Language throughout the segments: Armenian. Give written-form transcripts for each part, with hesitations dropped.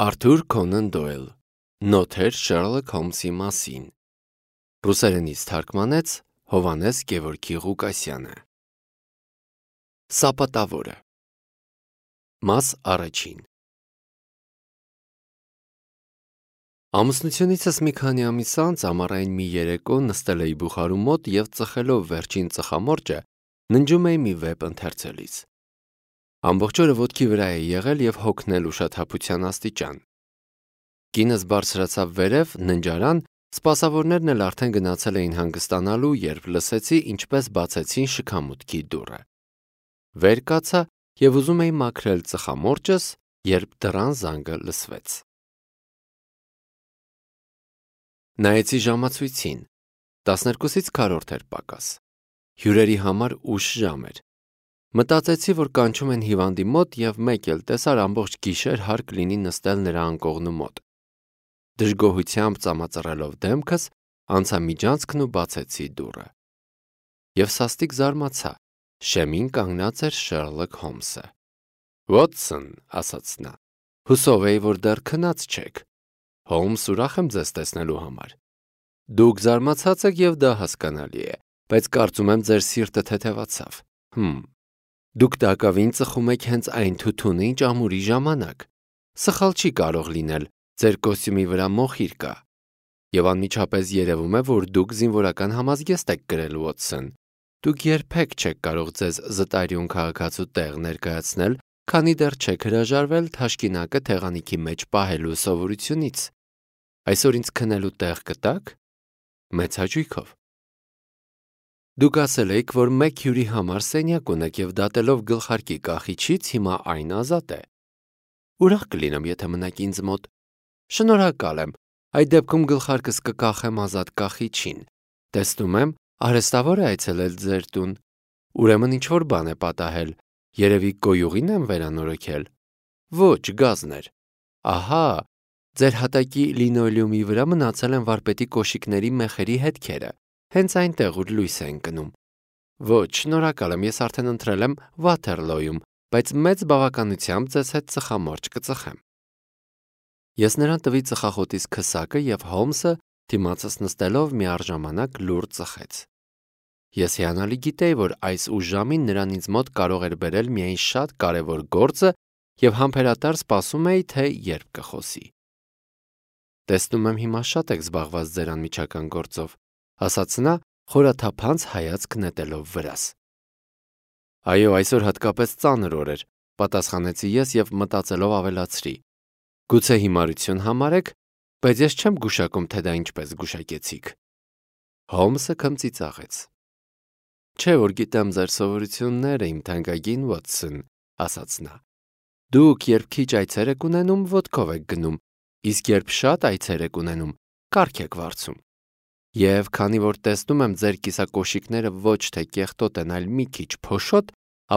Արթուր Քոնան Դոյլ Նոթեր Շերլոք Հոլմսի մասին Ռուսերենից թարգմանեց Հովհաննես Գևորգի Ղուկասյանը Սապատավորը Մաս առաջին Ամուսնությունիցս մի քանի ամիս անց ամառային մի երեկո նստել էի բուխարու մոտ և ծխելով վերջին ծխամորճը ննջում էի մի վեպ ընթերցելիս։ Ամբողջ օրը ոտքի վրա էի եղել և հոգնել ուշաթափության աստիճան։ Կինս բարձրացավ վերև ննջարան, սպասավորներն էլ արդեն գնացել էին հանգստանալու, երբ լսեցի, ինչպես բացեցին շքամուտքի դուռը։ Վեր կացա և ուզում էի մաքրել ծխամորճս, երբ դռան զանգը լսվեց։ Նայեցի ժամացույցին, 12-ից քառորդ էր պակաս։ Հյուրերի համար ուշ ժամ էր։ Մտածեցի, որ կանչում են հիվանդի մոտ և մեկ էլ տեսար ամբողջ գիշեր հարկ լինի նստել նրա անկողնու մոտ։ Դժգոհությամբ ծամածռելով դեմքս, անցա միջանցքն ու բացեցի դուռը։ Եվ սաստիկ զարմացա, շեմին կանգնած էր Շերլոք Հոլմսը։ «Վոտսոն», ասաց նա, հուսով էի, որ դեռ քնած չեք։ Հոլմս, ուրախ եմ ձեզ տեսնելու համար։ Դուք զարմացած եք և դա հասկանալի է, բայց կարծում եմ ձեր սիրտը թեթևացավ։ Դուք տակավին ծխում եք հենց այն թութուն, ինչ ամուրի ժամանակ։ Սխալ չի կարող լինել, ձեր կոստյումի վրա մոխիր կա։ Եվ անմիջապես երևում է, որ դուք զինվորական համազգեստ եք կրել, Վոտսոն։ Դուք երբեք չեք կարող ձեզ զտարյուն քաղաքացու տեղ ներկայացնել, քանի դեռ չեք հրաժարվել թաշկինակը թեղանիքի մեջ պահելու սովորությունից։ Այսօր ինձ քնելու տեղ կտա՞ք։ Մեծ հաճույքով։ Դուք ասել էիք, որ մեկ հյուրի համար սենյակ ունեք և դատելով գլխարկի կախիչից հիմա այն ազատ է։ Ուրախ կլինեմ, եթե մնաք ինձ մոտ։ Շնորհակալ եմ, այդ դեպքում գլխարկս կկախեմ ազատ կախիչին։ Տեսնում եմ, արհեստավոր է այցելել ձեր տուն։ Ուրեմն ինչ-որ բան է պատահել, երևի կոյուղին եմ վերանորոգել։ Ոչ, գազն էր։ Ահա, ձեր հատակի լինոլեումի վրա մնացել են վարպետի կոշիկների մեխերի հետքերը, հենց այնտեղ, ուր լույս է ընկնում։ Ոչ, շնորհակալ եմ, ես արդեն ընտրել եմ Վաթերլոյում, բայց մեծ բավականությամբ ձեզ հետ ծխամորճ կծխեմ։ Ես նրան տվի ծխախոտիս քսակը և Հոլմսը, դիմացս նստելով միառժամանակ լուռ ծխեց։ Ես հիանալի գիտեի, որ այս ուշ ժամին նրան ինձ մոտ կարող էր բերել միայն շատ կարևոր գործը և համբերատար սպասում էի, թե երբ կխոսի։ Տեսնում եմ հիմա շատ եք զբաղված ձեր անմիջական գործով, ասաց նա, խորաթափանց հայացք նետելով վրաս։ Այո, այսօր հատկապես ծանր օր էր, պատասխանեցի ես և մտածելով ավելացրի. Գուցե հիմարություն համարեք, բայց ես չեմ գուշակում, թե դա ինչպես գուշակեցիք։ Հոլմսը քմծիծաղեց։ Չէ, որ գիտեմ ձեր սովորությունները, իմ թանկագին Վոտսոն, ասաց նա։ Դուք երբ քիչ այցեր եք ունենում, ոտքով եք գնում, իսկ երբ շատ այցեր եք ունենում, կառք եք վարձում։ Եվ քանի որ տեսնում եմ ձեր կիսակոշիկները ոչ թե կեղտոտ են, այլ մի քիչ փոշոտ,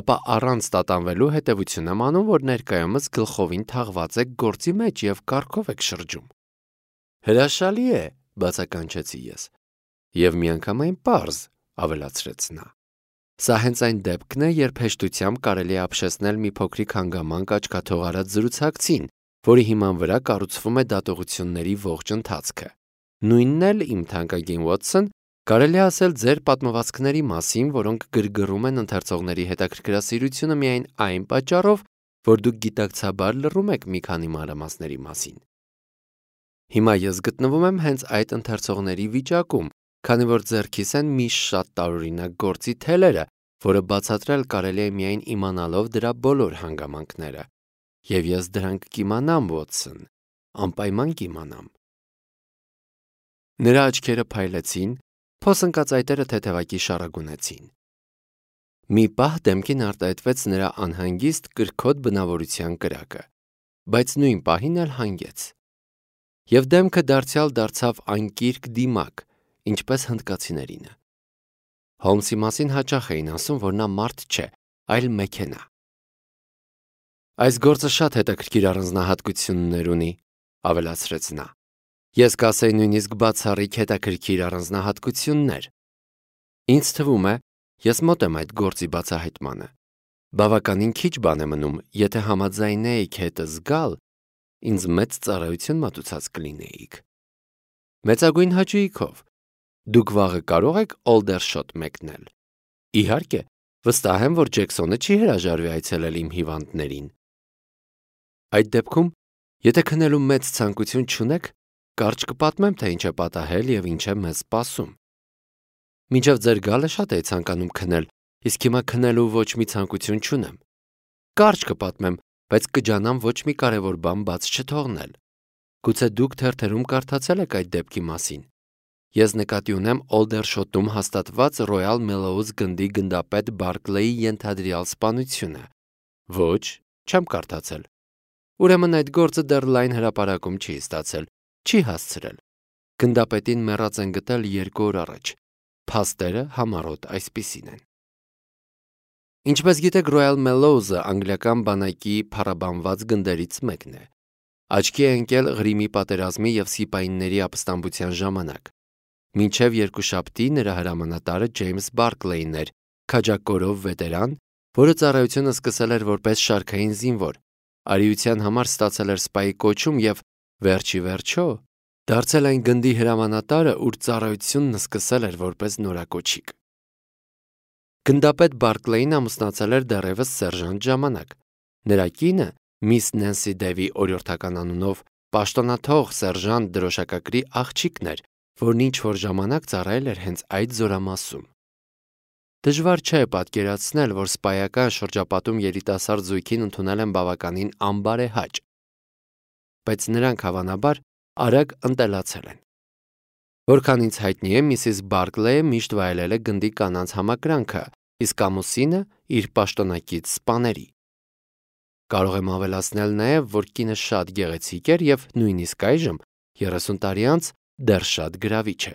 ապա առանց տատանվելու հետևություն եմ անում, որ ներկայումս գլխովին թաղված եք գործի մեջ և կառքով եք շրջում։ Հրաշալի է, բացականչեցի ես։ Եվ միանգամայն պարզ, ավելացրեց նա։ Սա հենց այն դեպքն է, երբ հեշտությամբ կարելի է ապշեցնել մի փոքրիկ հանգամանք աչքաթող արած զրուցակցին, որի հիման վրա կառուցվում է դատողությունների ողջ ընթացքը։ Նույնն էլ, իմ թանկագին Վոտսոն, կարելի է ասել ձեր պատմվածքների մասին, որոնք գրգռում են ընթերցողների հետաքրքրասիրությունը միայն այն պատճառով, որ դուք գիտակցաբար լռում եք մի քանի մանրամասների մասին։ Հիմա ես գտնվում եմ հենց այդ ընթերցողների վիճակում, քանի որ ձեռքիս են մի շատ տարօրինակ գործի թելերը, որը բացատրել կարելի է միայն իմանալով դրա բոլոր հանգամանքները։ Եվ ես դրանք կիմանամ, Վոտսոն, անպայման կիմանամ։ Նրա աչքերը փայլեցին, փոս ընկած այտերը թեթևակի շառագունեցին։ Մի պահ դեմքին արտահայտվեց նրա անհանգիստ կրքոտ բնավորության կրակը, բայց նույն պահին էլ հանգեց։ Եվ դեմքը դարձյալ դարձավ անկիրք դիմակ, ինչպես հնդկացիներինը։ Հոլմսի մասին հաճախ էին ասում, որ նա մարդ չէ, այլ մեքենա։ Այս գործը շատ հետաքրքիր առանձնահատկություններ ունի, ավելացրեց նա։ Ես կասեի նույնիսկ բացառիկ հետաքրքիր առանձնահատկություններ։ Ինձ թվում է, ես մոտ եմ այդ գործի բացահայտմանը։ Բավականին քիչ բան է մնում, եթե համաձայնեիք հետը զգալ, ինձ մեծ ծառայություն մատուցած կլինեիք։ Մեծագույն հաճույքով։ Դուք վաղը կարող եք Օլդերշոտ մեկնել։ Իհարկե, վստահ եմ, որ Ջեքսոնը չի հրաժարվի այցելել իմ հիվանդներին։ Այդ դեպքում, եթե քնելու մեծ ցանկություն չունեք, կարճ կպատմեմ, թե ինչ է պատահել եւ ինչ է մեզ սպասում։ Մինչև ձեր գալը շատ էի ցանկանում քնել, իսկ հիմա քնելու ոչ մի ցանկություն չունեմ։ Կարճ կպատմեմ, բայց կջանամ ոչ մի կարևոր բան բաց չթողնել։ Գուցե դուք թերթերում կարդացել եք այդ դեպքի մասին։ Ես նկատի ունեմ Օլդերշոտում հաստատված Royal Mellows գնդի գնդապետ Բարկլեի ենթադրյալ սպանությունը։ Ոչ, չեմ կարդացել։ Ուրեմն այդ գործը դեռ լայն հրապարակում չի ստացել, չի հասցրել։ Գնդապետին մեռած են գտել 2 օր առաջ։ Փաստերը համառոտ այսպիսին են։ Ինչպես գիտեք, Royal Mellows-ը անգլիական բանակի փառաբանված գնդերից մեկն է։ Աչքի է ընկել Ղրիմի պատերազմի եւ սիպայինների ապստամբության ժամանակ։ Մինչև երկուշաբթի նրա հրամանատարը Ջեյմս Բարկլեին էր, քաջակորով վետերան, որը ծառայությունը սկսել էր որպես շարքային զինվոր, արիության համար ստացել էր սպայի կոչում եւ վերջի վերջո դարձել այն գնդի հրամանատարը, ուր ծառայությունն սկսել էր որպես նորակոչիկ։ Գնդապետ Բարկլեին ամուսնացել էր դեռևս սերժանտ ժամանակ։ Նրա կինը, Միս Նենսի Դեվի օրիորդական անունով, պաշտոնաթող սերժանտ դրոշակակրի աղջիկն էր, որն ինչ-որ ժամանակ ծառայել էր հենց այդ զորամասում։ Դժվար չէ պատկերացնել, որ սպայական շրջապատում երիտասարդ զույգին ընդունել են բավականին անբարեհաճ, բայց նրանք հավանաբար արագ ընտելացել են։ Որքան ինձ հայտնի է, Միսիս Բարկլեյը միշտ վայելել է գնդի կանանց համակրանքը, իսկ ամուսինը իր պաշտոնակից սպաների։ Կարող եմ ավելացնել նաև, որ կինը շատ գեղեցիկ էր եւ նույնիսկ այժմ 30 տարի անց դեռ շատ գրավիչ է։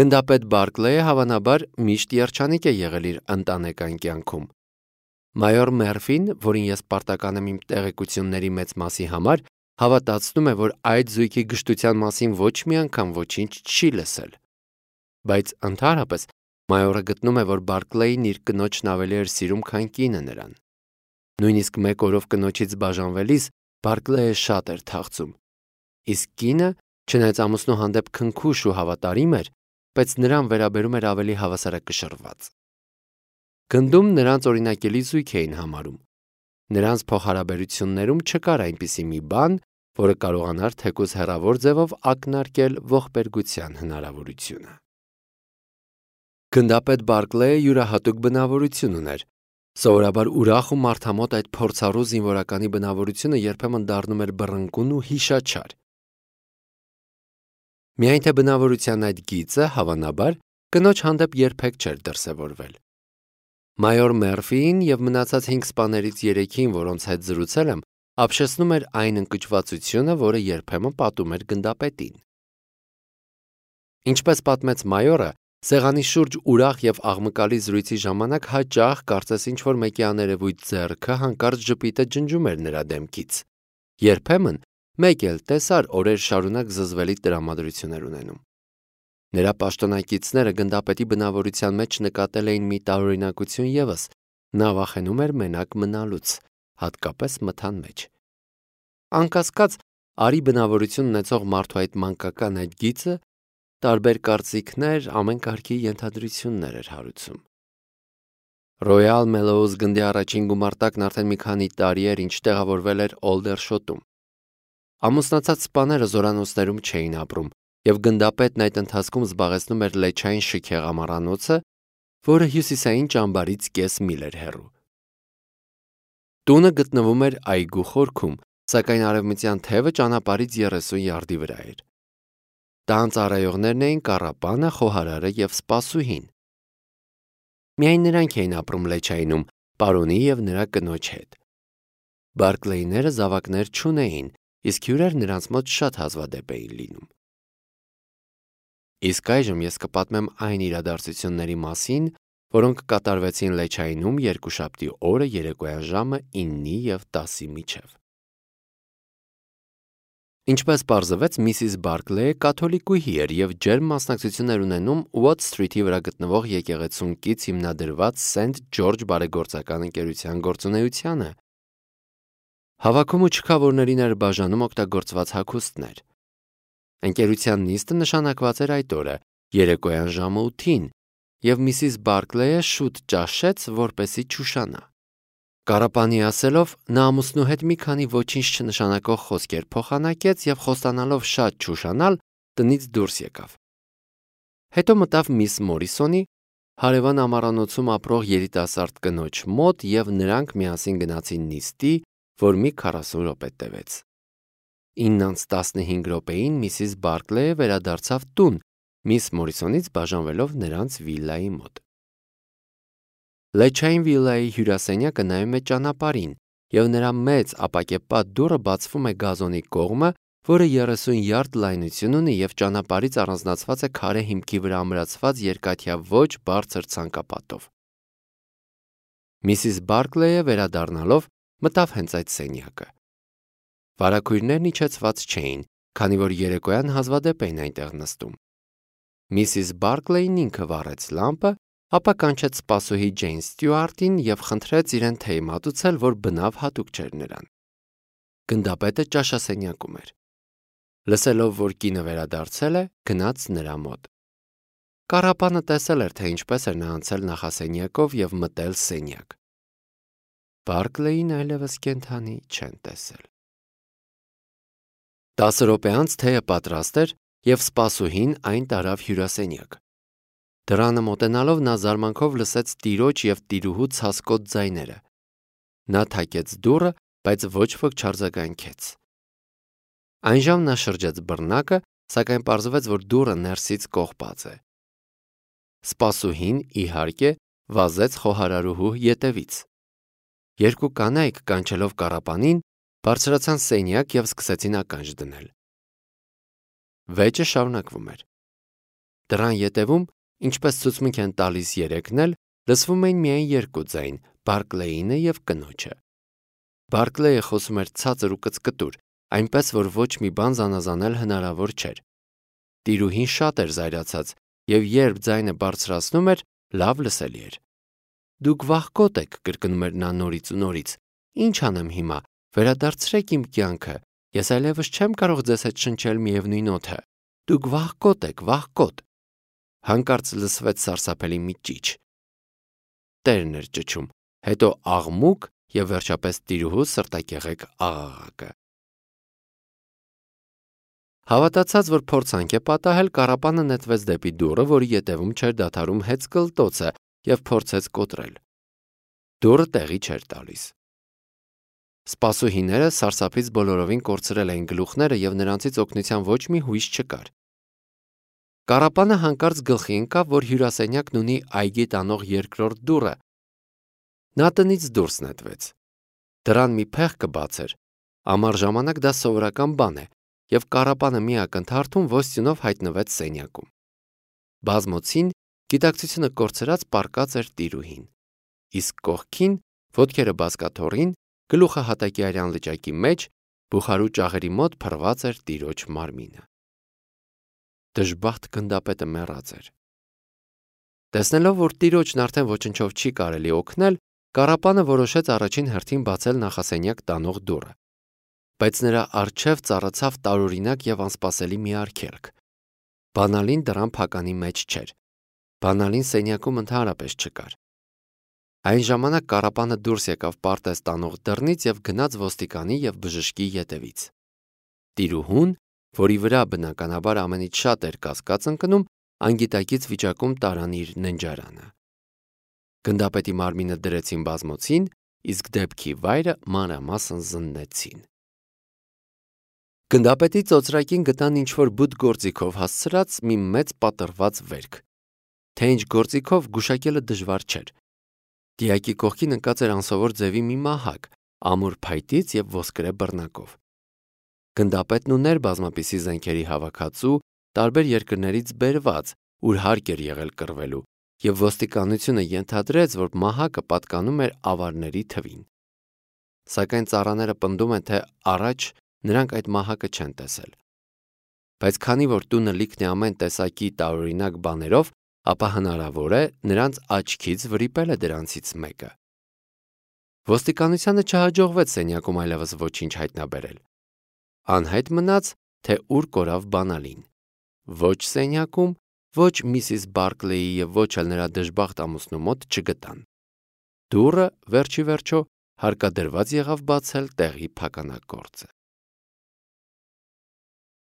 Գնդապետ Բարկլեյը հավանաբար միշտ երջանիկ է եղել իր ընտանեկան կյանքում։ Մայոր Մերֆին, որին ես պարտական եմ իմ տեղեկությունների մեծ մասի համար, հավատացնում է, որ այդ զույգի գժտության մասին ոչ մի անգամ ոչինչ չի լսել։ Բայց ընդհանրապես մայորը գտնում է, որ Բարկլեին իր կնոջն ավելի էր սիրում, քան կինը նրան։ Նույնիսկ մեկ օրով կնոջից բաժանվելիս Բարկլեյը շատ էր թախծում։ Իսկ կինը, չնայած ամուսնու հանդեպ քնքուշ ու հավատարիմ էր, բայց նրան վերաբերում էր ավելի հավասարակշռված։ Գնդում նրանց օրինակելի զույգ էին համարում։ Նրանց փոխհարաբերություններում չկար այնպիսի մի բան, որը կարողանար թեկուզ հեռավոր ձևով ակնարկել ողբերգության հնարավորությունը։ Գնդապետ Բարկլեյը յուրահատուկ բնավորություն ուներ։ Սովորաբար ուրախ ու մարդամոտ այդ փորձառու զինվորականի բնավորությունը երբեմն դառնում էր բռնկուն ու հիշաչար։ Միայն թե բնավորության այդ գիծը, հավանաբար, կնոջ հանդեպ երբեք չէր դրսևորվել։ Մայոր Մերֆիին եւ մնացած 5 սպաներից 3-ին, որոնց հետ զրուցել եմ, ապշեցնում էր այն ընկճվածությունը, որը երբեմն պատում էր գնդապետին։ Ինչպես պատմեց մայորը, սեղանի շուրջ ուրախ եւ աղմկալի զրույցի ժամանակ հաճախ կարծես ինչ-որ մեկի աներևույթ ձեռքը հանկարծ ժպիտը ջնջում էր նրա դեմքից։ Երբեմն մեկ էլ տեսար օրեր շարունակ զզվելի տրամադրություններ ունենում։ Նրա պաշտոնակիցները գնդապետի բնավորության մեջ նկատել էին մի տարօրինակություն ևս, նա վախենում էր մենակ մնալուց, հատկապես մթան մեջ։ Անկասկած, արի բնավորություն ունեցող մարդու այդ մանկական այդ գիծը տարբեր կարծիքներ, ամեն կարգի ենթադրություններ էր հարուցում։ Royal Mellows գնդի առաջին գումարտակն արդեն մի քանի տարի էր, ինչ տեղավորվել էր Օլդերշոտում։ Ամուսնացած սպաները զորանոցներում չէին ապրում, եւ գնդապետն այդ ընթացքում զբաղեցնում էր լեչային շքեղ ամառանոցը, որը հյուսիսային ճամբարից կես միլ էր հեռու։ Տունը գտնվում էր այգու խորքում, սակայն արևմտյան թևը ճանապարհից 30 յարդի վրա էր։ Տան ծառայողներն էին կառապանը, խոհարարը եւ սպասուհին։ Միայն նրանք էին ապրում լեչայինում, պարոնի եւ նրա կնոջ հետ։ Բարկլեյները զավակներ չունեին, իսկ հյուրեր նրանց մոտ շատ հազվադեպ էին լինում։ Իսկ այժմ ես կպատմեմ այն իրադարձությունների մասին, որոնք կատարվեցին լեչայինում երկուշաբթի օրը երեկոյան ժամը 9-ի եւ 10-ի միջև։ Ինչպես պարզվեց, Միսիս Բարկլեյը կաթոլիկուհի էր եւ ջերմ մասնակցություններ ունենում Ուոտ Սթրիթի վրա գտնվող եկեղեցուն կից հիմնադրված Սենթ Ջորջ բարեգործական ընկերության գործունեությանը։ Հավաքում ու չքավորներին էր բաժանում օգտագործված հագուստներ։ Ընկերության նիստը նշանակված էր այդ օրը, երեկոյան ժամը 8-ին, եւ Միսիս Բարքլեյը շուտ ճաշեց, որպեսզի չուշանա։ Կարապանի ասելով, նա ամուսնու հետ մի քանի ոչինչ չնշանակող խոսքեր փոխանակեց եւ խոստանալով շատ չուշանալ, տնից դուրս եկավ։ Հետո մտավ Միս Մորիսոնի, հարևան ամառանոցում ապրող երիտասարդ կնոջ մոտ եւ նրանք միասին գնացին նիստի, որ մի 40 րոպե տևեց։ 9:15 րոպեին Միսիս Բարքլեյը վերադարձավ տուն, Միս Մորիսոնից բաժանվելով նրանց վիլլայի մոտ։ Լեչային վիլլայի հյուրասենյակը նայում է ճանապարհին, եւ նրա մեծ ապակեպատ դուռը բացվում է գազոնի կողմը, որը 30 յարդ լայնություն ունի եւ ճանապարհից առանձնացված է քարե հիմքի վրա ամրացված երկաթյա ոչ բարձր ցանկապատով։ Միսիս Բարքլեյը վերադառնալով մտավ հենց այդ սենյակը։ Վարագույրներն իջեցված չէին, քանի որ երեկոյան հազվադեպ էին այնտեղ նստում։ Միսիս Բարքլեյն ինքը վառեց լամպը, ապա կանչեց սպասուհի Ջեյն Ստյուարտին եւ խնդրեց իրեն թեյ մատուցել, որ բնավ հատուկ չէր նրան։ Գնդապետը ճաշասենյակում էր։ Լսելով, որ կինը վերադարձել է, գնաց նրա մոտ։ Կարապանը տեսել էր, թե ինչպես էր նա անցել նախասենյակով եւ մտել սենյակ։ Բարքլեյին այլևս կենդանի չեն տեսել։ 10 րոպե անց թեյը պատրաստ էր եւ սպասուհին այն տարավ հյուրասենյակ։ Դռանը մոտենալով նա զարմանքով լսեց տիրոջ եւ տիրուհու ցասկոտ ձայները։ Նա թակեց դուռը, բայց ոչ ոք չարձագանքեց։ Այնժամ նա շրջեց բռնակը, սակայն պարզվեց, որ դուռը ներսից կողպած է։ Սպասուհին, իհարկե, վազեց խոհարարուհու ետևից։ Երկու կանայք, կանչելով Կարապանին, բարձրացան սենյակ եւ սկսեցին ականջ դնել։ Վեճը շարունակվում էր։ Դռան ետևում, ինչպես ցուցմունք են տալիս երեքն էլ, լսվում էին միայն երկու ձայն՝ Բարքլեյինը եւ կնոջը։ Բարքլեյը խոսում էր ցածր ու կծկտուր, այնպես որ ոչ մի բան զանազանել հնարավոր չէր։ Տիրուհին շատ էր զայրացած եւ երբ ձայնը բարձրացնում էր, լավ լսելի էր։ Դուք վախկոտ եք, կրկնում էր նա նորից ու նորից։ Ինչ անեմ հիմա, վերադարձրեք իմ կյանքը, ես այլևս չեմ կարող ձեզ հետ շնչել միևնույն օդը։ Դուք վախկոտ եք, վախկոտ։ Հանկարծ լսվեց սարսափելի մի ճիչ։ Տերն էր ճչում, հետո աղմուկ եւ վերջապես տիրուհու սրտակեղեկ աղաղակը։ Հավատացած, որ փորձանք է պատահել, Կարապանը նետվեց դեպի դուռը, որի ետևում չէր դադարում հեծ կլտոցը, եւ փորձեց կոտրել։ Դուռը տեղի չէր տալիս։ Սպասուհիները սարսափից բոլորովին կորցրել էին գլուխները եւ նրանցից օգնության ոչ մի հույս չկար։ Կարապանը հանկարծ գլխի ընկավ, որ հյուրասենյակն ունի այգի տանող երկրորդ դուռը։ Նա տնից դուրս նետվեց։ Դրան մի փեղկը բաց էր։ Ամառ ժամանակ դա սովորական բան է, եւ Կարապանը մի ակնթարթում ոստյունով հայտնվեց սենյակում։ Բազմոցին գիտակցությունը կորցրած պառկած էր տիրուհին։ Իսկ կողքին, ոտքերը բազկաթոռին, գլուխը հատակի արյան լճակի մեջ, բուխարու ճաղերի մոտ փռված էր տիրոջ մարմինը։ Դժբախտ գնդապետը մեռած էր։ Տեսնելով, որ տիրոջն արդեն ոչնչով չի կարելի օգնել, Կարապանը որոշեց առաջին հերթին բացել նախասենյակ տանող դուռը։ Բայց նրա առջև ծառացավ տարօրինակ եւ անսպասելի մի արգելք։ Բանալին դռան փականի մեջ չէր։ Բանալին սենյակում ընդհանրապես չկար։ Այն ժամանակ Կարապանը դուրս եկավ պարտեզ տանող դռնից եւ գնաց ոստիկանի եւ բժշկի ետևից։ Տիրուհուն, որի վրա բնականաբար ամենից շատ էր կասկած ընկնում, անգիտակից վիճակում տարան իր ննջարանը։ Գնդապետի մարմինը դրեցին բազմոցին, իսկ դեպքի վայրը մանրամասն զննեցին։ Գնդապետի ծոծրակին գտան ինչ-որ բութ գործիքով հասցրած մի մեծ պատռված վերք։ Թե ինչ գործիքով գուշակելը դժվար չէր։ Դիակի կողքին ընկած էր անսովոր ձևի մի մահակ, ամուր փայտից եւ ոսկրե բռնակով։ Գնդապետն ուներ բազմապիսի զենքերի հավաքածու, տարբեր երկրներից բերված, ուր հարկ էր եղել կռվելու, եւ ոստիկանությունը ենթադրեց, որ մահակը պատկանում էր ավարների թվին։ Սակայն ծառաները պնդում են, թե առաջ նրանք այդ մահակը չեն տեսել։ Բայց քանի որ տունը լիքն է ամեն տեսակի տարօրինակ բաներով, ապա հնարավոր է նրանց աչքից վրիպել է դրանցից մեկը։ Ոստիկանությանը չհաջողվեց սենյակում այլևս ոչինչ հայտնաբերել։ Անհայտ մնաց, թե ուր կորավ բանալին։ Ոչ սենյակում, ոչ Միսիս Բարքլեի և ոչ էլ նրա դժբախտ ամուսնու մոտ չգտան։ Դուռը վերջիվերջո հարկադրված եղավ բացել տեղի փականակորձը։